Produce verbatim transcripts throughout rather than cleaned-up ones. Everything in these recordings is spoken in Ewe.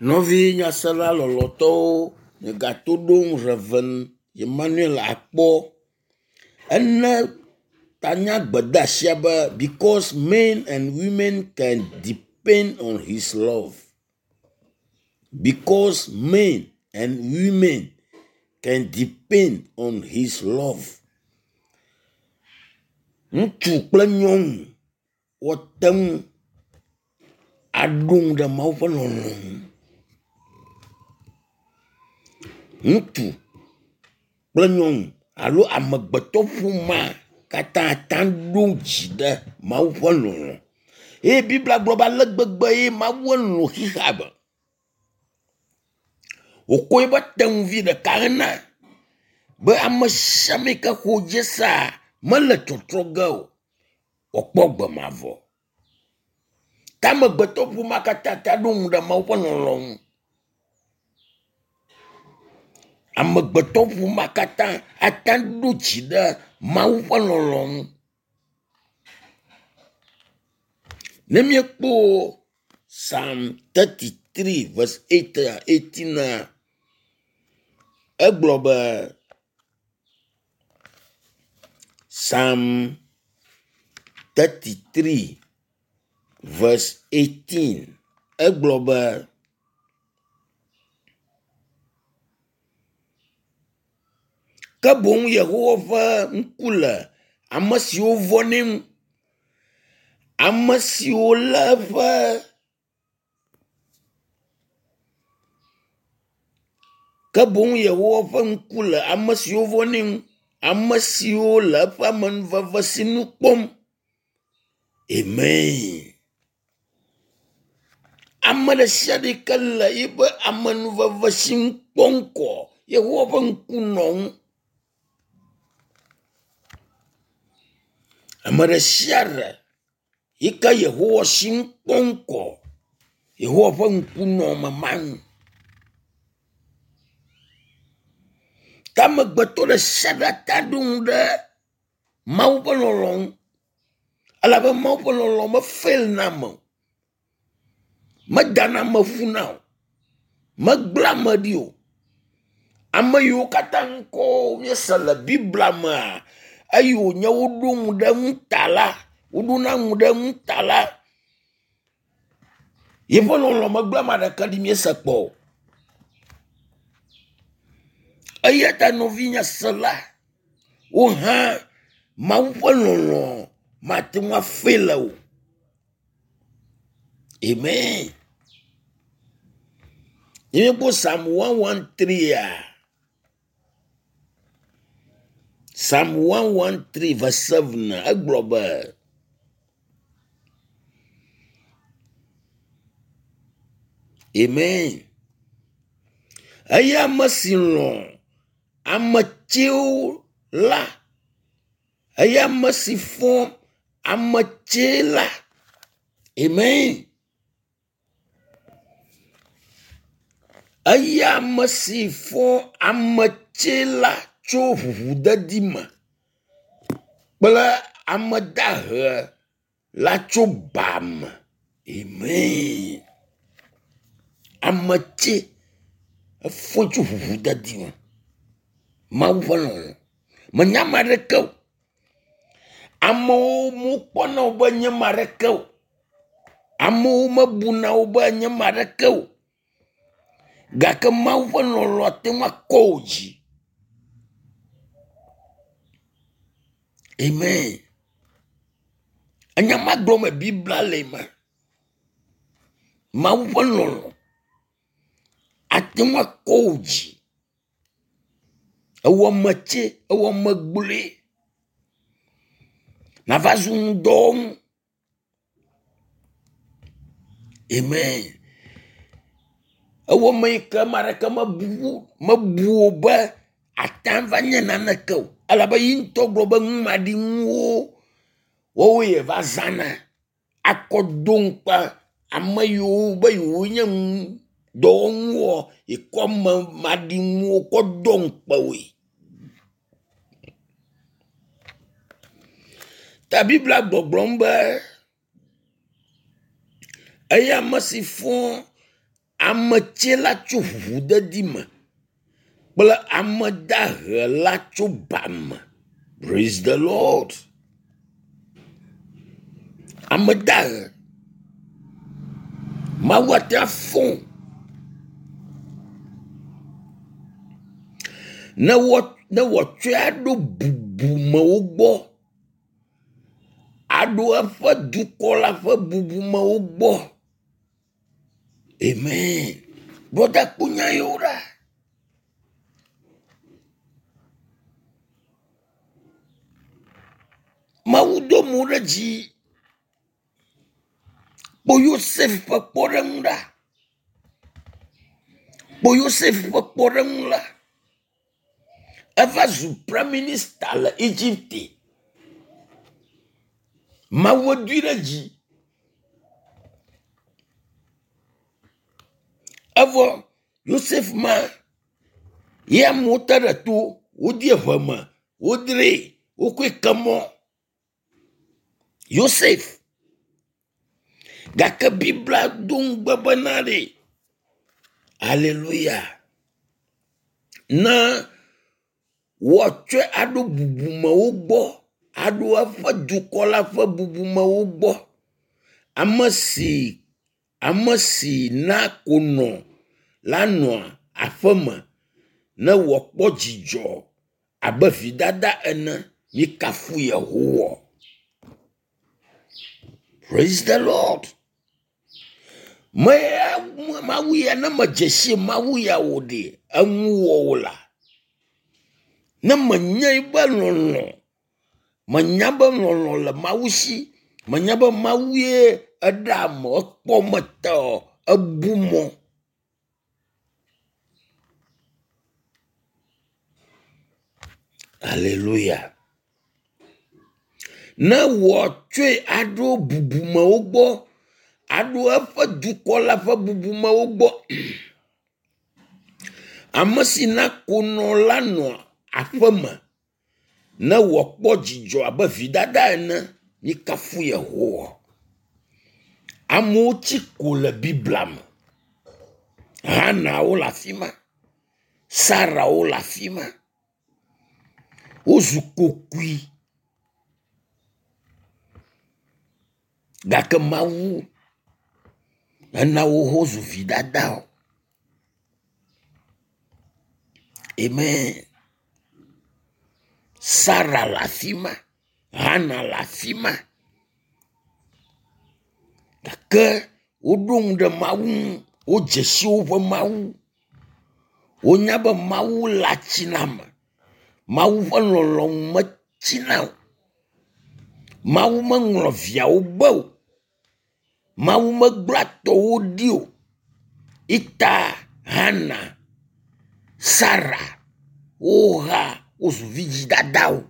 Nɔvi nyasela lɔlɔtɔwo migato ɖom Rev. Emmanuel Akpɔ. Ene tanya gbedeasia be because men and women can depend on his love. Because men and women can depend on his love. Ŋutsu kple nyɔnu woate ŋu aɖo ŋu ɖe Mawu ƒe lɔlɔ ŋu. Ŋutsu kple nyɔnu alo amegbetɔƒomea katã ate ŋu aɖo dzi ɖe Mawu ƒe lɔlɔ. Eye Biblia gblɔ be ale gbegbe ye Mawu lɔ̃ xexea me wòkɔ eƒe tenuvi ɖeka hena be ame sia ame yi ke xɔ edzi sea mele tsɔtsrɔ̃ ge o, wòakpɔ agbe mavɔ. Ke amegbetɔƒomea katã te ɖo ŋu ɖe Mawu ƒe lɔlɔ ŋu. Amegbetɔƒomea katã ate ŋu ɖo dzi ɖe Mawu ƒe lɔlɔ ŋu. Ne míekpɔ Psalm thirty three verse eight eighteen egblɔ be Psalm thirty three verse eighteen egblɔ be ke boŋ Yehowa ƒe ŋku le ame siwo vɔ̃nɛ ŋu, ame siwo lé eƒe ke boŋ Yehowa ƒe ŋku le ame siwo vɔ̃nɛ ŋu, ame siwo le eƒe amenuveve sinu kpɔm. Amen. Ame ɖe sia ɖe yi ke le yiƒe amenuveve sinu kpɔm koa, Yehowa ƒe ŋku nɔ ŋu. Ame ɖe sia ɖe yi ke Yehowa sinu kpɔm koa, Yehowa ƒe ŋku nɔ ame ma ŋu. Ke amegbetɔ ɖe sia ɖe ate ɖo ŋu ɖe Mawu ƒe lɔlɔ ŋu elabe Mawu ƒe lɔlɔ mefelina ame o, medana ame ƒuna o, megblẽa ame ɖi o. Ame yiwo katã ŋkɔ míese le Biblia mea, eyi wònye woɖo ŋu ɖe eŋu ta la, woɖona ŋu ɖe eŋu ta la, yeƒe lɔlɔ megblẽ ame aɖeke ɖi míese kpɔ o. Eya ta nɔvinye sela, wò hã Mawu ƒe lɔlɔ mate ŋu afel o. Amen. Ne míekpɔ Psalm one one three a, Psalm one one three verse seven egblɔ be Amen. Eya ame si lɔ̃ ame tsɛwo la, eya ame si fɔ ame tsɛ la. Amen. Eya ame si fɔ ame tsɛ la tso ʋuʋudedi me kple ame dahe la tso ba me. Amen. Ame tsɛ efɔe tso ʋuʋudedi me. Mawu ƒe lɔlɔ. Menya ame aɖeke o. Amewo mekpɔna wo be nye ame aɖeke o. Amewo mebuna wo be nye ame aɖeke o. Gake Mawu ƒe lɔlɔ ate ŋu akɔ wò dzi. Amen. Enya ma gblɔm Biblia le ma. Mawu ƒe lɔlɔ ate ŋu akɔ wò dzi. Ewɔ ame tsɛ, ewɔ ame gblɔe. Nava zu ŋudɔwɔnu. Amen. Ewɔ ame yi ke ame aɖeke mebu mebu wò be ate va nye naneke o. Elabe yi ŋutɔ gblɔ be numaɖinuwo woawoe yeva zãna akɔ do ŋukpe ame yiwo be yewonye dɔwɔnuwoa, yekɔ ame maɖinuwo kɔ do ŋukpe woe. Ta Biblia gbɔgblɔm be eya ame si fɔ Ame tsɛ la tso ʋuʋudedi me kple ame dahe la tso ba me. Praise the Lord. Ame dahe. Mawu ate afɔ ne wɔ ne wòatsɔe aɖo bubumewo gbɔ, aɖo eƒe dukɔ la ƒe bubumewo gbɔ. Amen. Brɔda kpɔ nya yewo ɖa. Mawu do mo ɖe dzi. Kpɔ Yosef ƒe kpɔɖeŋu ɖa. Kpɔ Yosef ƒe kpɔɖeŋu la. Eva zu prime minister le Egypte. Mawu doe ɖe dzi. Evɔ Yosef ma ye amewo te ɖe to, wodie ʋe me, wodree, wokɔe ke mɔ. Yosef. Gake Biblia do ŋugbe bena ɖe. Aleluya. Ne woatsɔe aɖo bubumewo gbɔ, aɖo eƒe dukɔ la ƒe bubumewo gbɔ. Ame si ame si na konɔ la nɔa aƒeme ne wòakpɔ dzidzɔ abe vidada ene. Mikafu Yehowa. Praise the Lord. Me Mawu ya ne medze si Mawu ya o ɖe, enu wɔ wò la. Ne menye be lɔlɔ̃, menya be lɔlɔ̃ le Mawu si, menya be Mawu ye eɖe ame, ekpɔ me tɔ, ebu mɔ. Aleluya. Ne wòatsɔe aɖo bubumewo gbɔ, aɖo eƒe dukɔ la ƒe bubumewo gbɔ. Ame si na konɔ la nɔa aƒeme ne wòakpɔ dzidzɔ abe vidada ene. Mikafu Yehowa. Amewo tsi ko le Biblia me. Hanawo le afi ma, Sarawo le afi ma. Wozu kokui. Gake Mawu ena wo wozu vidadawo. Amen. Sara le afi ma, Hana le afi ma. Gake woɖo ŋu ɖe Mawu ŋu, wodze si woƒe Mawu. Wonya be Mawu le atsi na ame. Mawu ƒe lɔlɔ̃nu metsina o. Mawu meŋlɔ viawo be o. Mawu megblẽa tɔwo ɖi o. Ita Hana, Sara woha wozu vidzidadawo.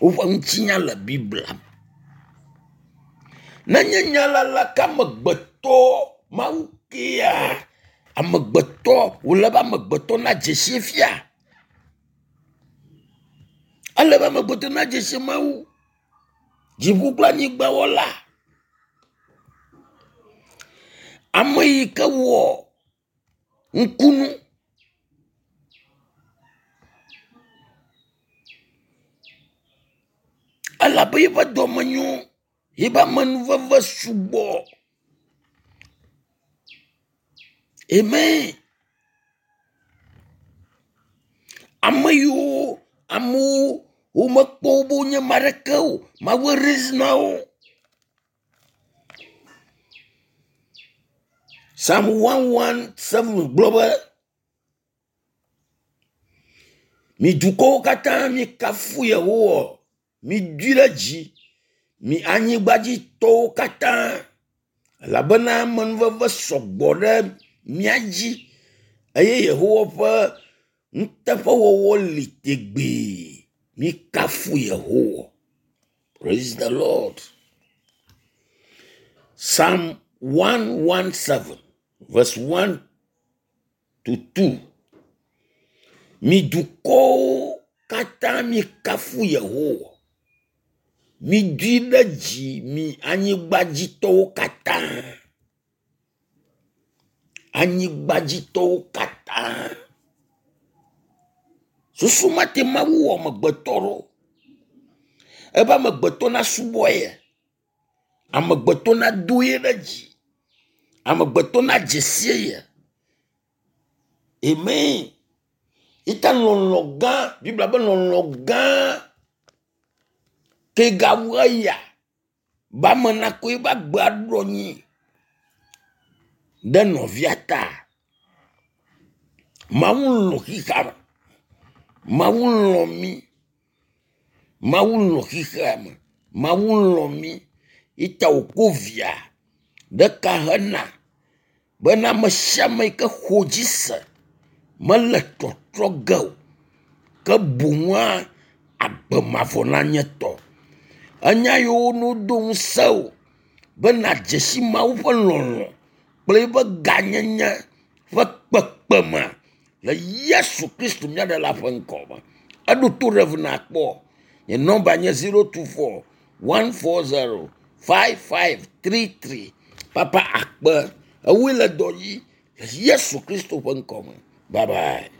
Woƒe ŋutinya le Biblia me. Nenye nya la la ke amegbetɔ Mawu kea amegbetɔ wòle be amegbetɔ nadze si fia. Ele be amegbetɔ nadze si Mawu. Dziƒo kple anyigba wɔla. Ame yi ke wɔ ŋkunu. Elabe eƒe dɔme nyo, eƒe amenuveve sugbɔ. Amen. Ame yiwo amewo womekpɔ wo be wonye ame aɖeke o, Mawu raise na wo. Psalm one one seven gblɔ be mi dukɔwo katã mikafu Yehowa, midoe ɖe dzi, mi anyigbadzitɔwo katã elabena amenuveve sɔgbɔ ɖe mía dzi eye Yehowa ƒe nuteƒewɔwɔ li tegbee. Mikafu Yehowa. Praise the Lord. Psalm one one seven verse one to two. Mi dukɔwo katã mikafu Yehowa. Midoe ɖe dzi mi anyigbadzitɔwo katã. Anyigbadzitɔwo katã. Susu ma te Mawu wɔ amegbetɔ ɖo. Ebe amegbetɔ nasubɔ ye. Amegbetɔ nado ye ɖe dzi. Amegbetɔ nadze sie ye. Amen. Ita lɔlɔ gã, Biblia be lɔlɔ gã ke gawu eya be ame nakɔ eƒe agbe aɖo anyi ɖe nɔvia ta. Mawu lɔ̃ xexea me. Mawu lɔ̃ mí. Mawu lɔ̃ xexea me. Mawu lɔ̃ mí. Ita wòko via ɖeka hena bena ame sia ame yi ke xɔ dzi se mele tɔtrɔ ge o ke boŋua agbe mavɔ nanye etɔ. Enya yiwo nodo ŋusẽ wò be nàdze si Mawu ƒe lɔlɔ̃ kple eƒe gãnyenye ƒe kpekpeme le Yesu Kristo mía Ɖela ƒe ŋkɔ me. Eɖo to ɖe ŋu nakpɔ. Nye nɔmba nye zero two four one four zero five five three three. Papa akpe ewoe le dɔ dzi le Yesu Kristo ƒe ŋkɔ me. Bye bye.